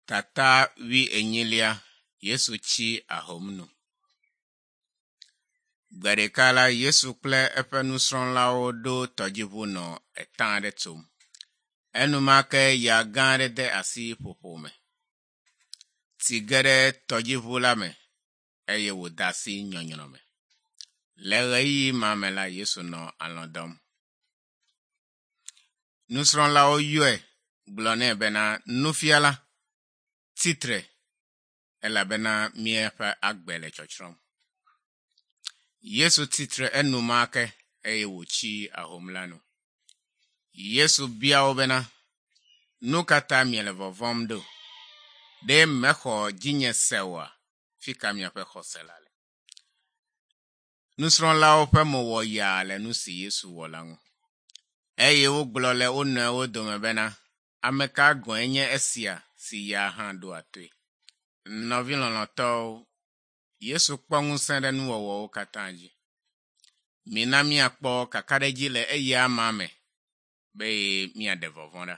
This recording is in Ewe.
Tata wuienyilia Yesu tsi ahom nu. Gbe ɖeka la, Yesu kple eƒe nusrɔ̃lawo ɖo tɔdziʋu nɔ etã aɖe tsom. Enumake ya gã aɖe de asi ƒoƒo me. Tsi ge ɖe tɔdziʋu la me eye wòde asi nyɔnyrɔ me. Le ɣeyiɣi ma me la, Yesu nɔ alɔ̃ dɔm. Nusrɔ̃lawo yɔe gblɔ nɛ bena, Nufiala, tsitre elabena míaƒe agbe le tsɔtsrɔ̃m. Yesu tsitre enumake eye wòtsi ahom la nu. Yesu bia wo bena, Nu ka ta miele vɔvɔ̃m ɖo? Ɖe mexɔ dzinye se oa? Fi ka miaƒe xɔse la le? Nusrɔ̃lawo ƒe mo wɔ yaa le nu si Yesu wɔ la ŋu. Eye wogblɔ le wo nɔewo dome bena, Ame ka gɔ̃e nye esia si ya hã ɖoa toe? Nɔvi lɔlɔ̃tɔwo, Yesu kpɔ ŋusẽ ɖe nuwɔwɔwo katã dzi. Mina míakpɔ kakaɖedzi le eya amea me be míaɖe vɔvɔ̃ ɖa.